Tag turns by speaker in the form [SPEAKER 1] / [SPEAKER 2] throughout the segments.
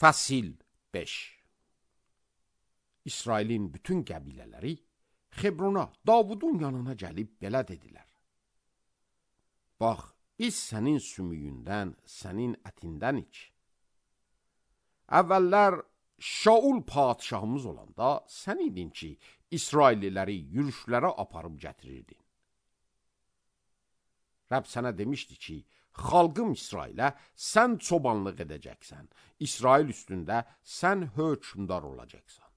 [SPEAKER 1] Fəsil 5. İsrailin bütün qəbilələri Xebrona, Davudun yanına gəlib belə dedilər. Bax, biz sənin sümüyündən, sənin ətindən iç. Əvvəllər Şaul padişahımız olanda sən idin ki, İsrailliləri yürüşlərə aparıb gətirirdin. Rəbb sənə demişdi ki, xalqım İsrailə sən çobanlıq edəcəksən, İsrail üstündə sən hökmdar olacaqsan.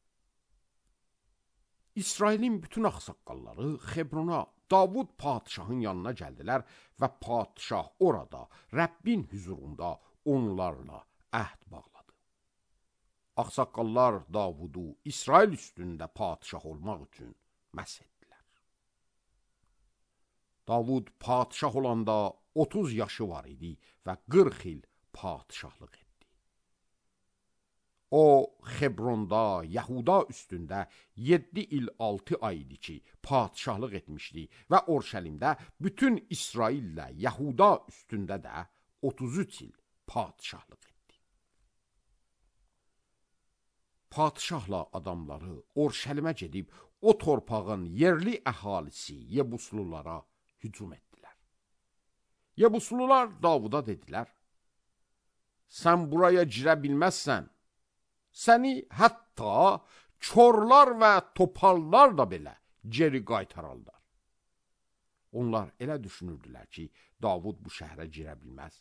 [SPEAKER 1] İsrailin bütün ağsaqqalları Xebrona, Davud padişahın yanına gəldilər və padişah orada, Rəbbin hüzurunda onlarla əhd bağladı. Ağsaqqallar Davudu İsrail üstündə padişah olmaq üçün məsh etdilər. Davud padişah olanda 30 yaşı var idi və 40 il padişahlıq etdi. O, Xebronda, Yahuda üstündə 7 il 6 ay idi ki, padişahlıq etmişdi və Orşəlimdə bütün İsraillə Yahuda üstündə də 33 il padişahlıq etdi. Padişahla adamları Orşəlimə gedib, o torpağın yerli əhalisi Yebuslulara hücum etdilər. Yebuslular Davuda dedilər, sən buraya girə bilməzsən, səni hətta çorlar və topallar da belə geri qaytararlar. Onlar elə düşünürdülər ki, Davud bu şəhərə girə bilməz.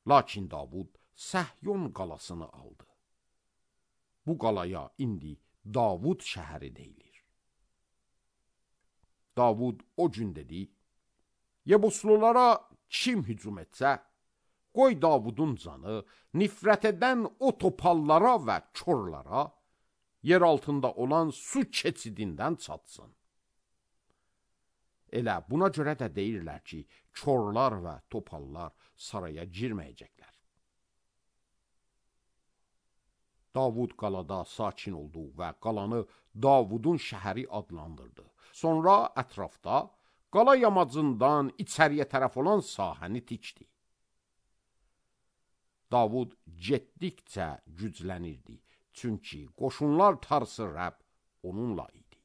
[SPEAKER 1] Lakin Davud Səhyon qalasını aldı. Bu qalaya indi Davud şəhəri deyilir. Davud o gün dedi, Yebuslulara kim hücum etsə, qoy Davudun canı nifrət edən o topallara və çorlara yer altında olan su keçidindən çatsın. Elə buna görə də deyirlər ki, çorlar və topallar saraya girməyəcəklər. Davud qalada sakin oldu və qalanı Davudun şəhəri adlandırdı. Sonra ətrafda qala yamacından içəriyə tərəf olan sahəni tikdi. Davud getdikcə güclənirdi, çünki qoşunlar tarsı Rəbb onunla idi.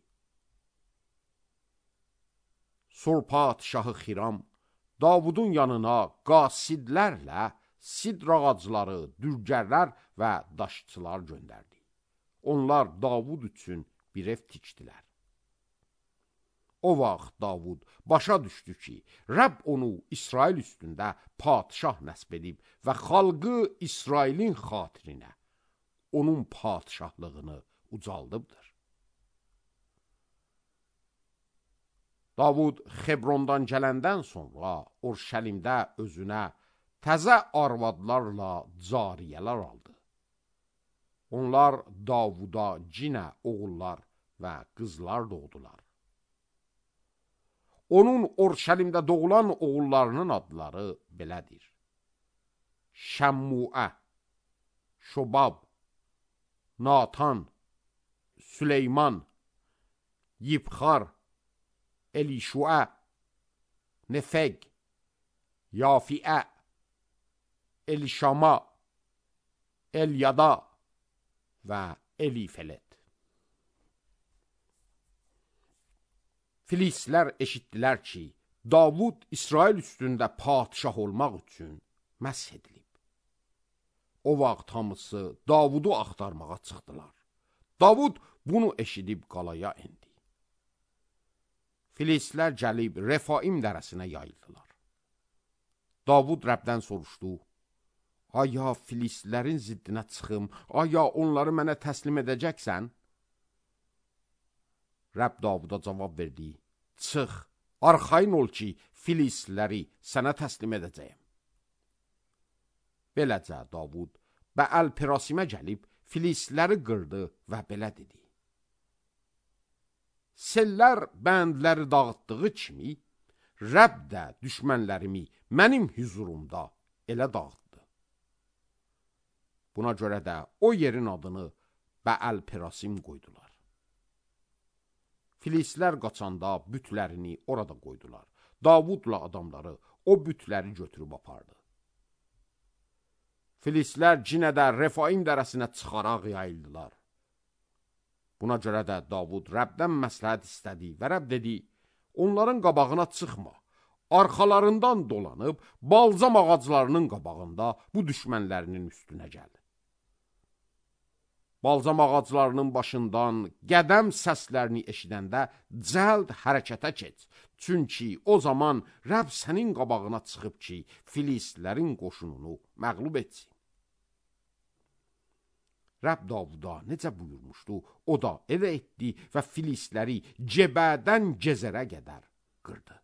[SPEAKER 1] Sur padişahı Xiram Davudun yanına qasidlərlə sidr ağacları, dürgərlər və daşçılar göndərdi. Onlar Davud üçün bir ev tikdilər. O vaxt Davud başa düşdü ki, Rəbb onu İsrail üstündə padişah nəsb edib və xalqı İsrailin xatirinə onun padişahlığını ucaldıbdır. Davud Xebrondan gələndən sonra Orşəlimdə özünə təzə arvadlarla cariyələr aldı. Onlar Davuda cinə oğullar və qızlar doğdular. Onun Orşəlimdə doğulan oğullarının adları belədir. Şəmmuə, Şobab, Natan, Süleyman, Yibxar, Elişuə, Nefeg, Yafiə, Elişama, Elyada və Elifelet. Filistlər eşitdilər ki, Davud İsrail üstündə padişah olmaq üçün məsh edilib. O vaxt hamısı Davudu axtarmağa çıxdılar. Davud bunu eşidib qalaya endi. Filistlər gəlib Refaim dərəsinə yayıldılar. Davud Rəbdən soruşdu, aya Filistlərin ziddinə çıxım, aya onları mənə təslim edəcəksən? Rəbb Davuda cavab verdi, çıx, arxayın ol ki, Filistləri sənə təslim edəcəyəm. Beləcə Davud Bəəl-Perasimə gəlib, Filistləri qırdı və belə dedi. Sellər bəndləri dağıtdığı kimi, Rəbb də düşmənlərimi mənim hüzurumda elə dağıtdı. Buna görə də o yerin adını Bəəl-Perasim qoydular. Filistlər qaçanda bütlərini orada qoydular. Davudla adamları o bütləri götürüb apardı. Filistlər cinə də Refaim dərəsinə çıxaraq yayıldılar. Buna görə də Davud Rəbdən məsləhət istədi və Rəbb dedi, onların qabağına çıxma, arxalarından dolanıb balzam ağaclarının qabağında bu düşmənlərinin üstünə gəl. Balzam ağaclarının başından qədəm səslərini eşidəndə cəld hərəkətə keç. Çünki o zaman Rəbb sənin qabağına çıxıb ki, Filistlərin qoşununu məğlub etsin. Rəbb Davuda necə buyurmuşdu, o da elə etdi və Filistləri Cebədən Gezərə qədər qırdı.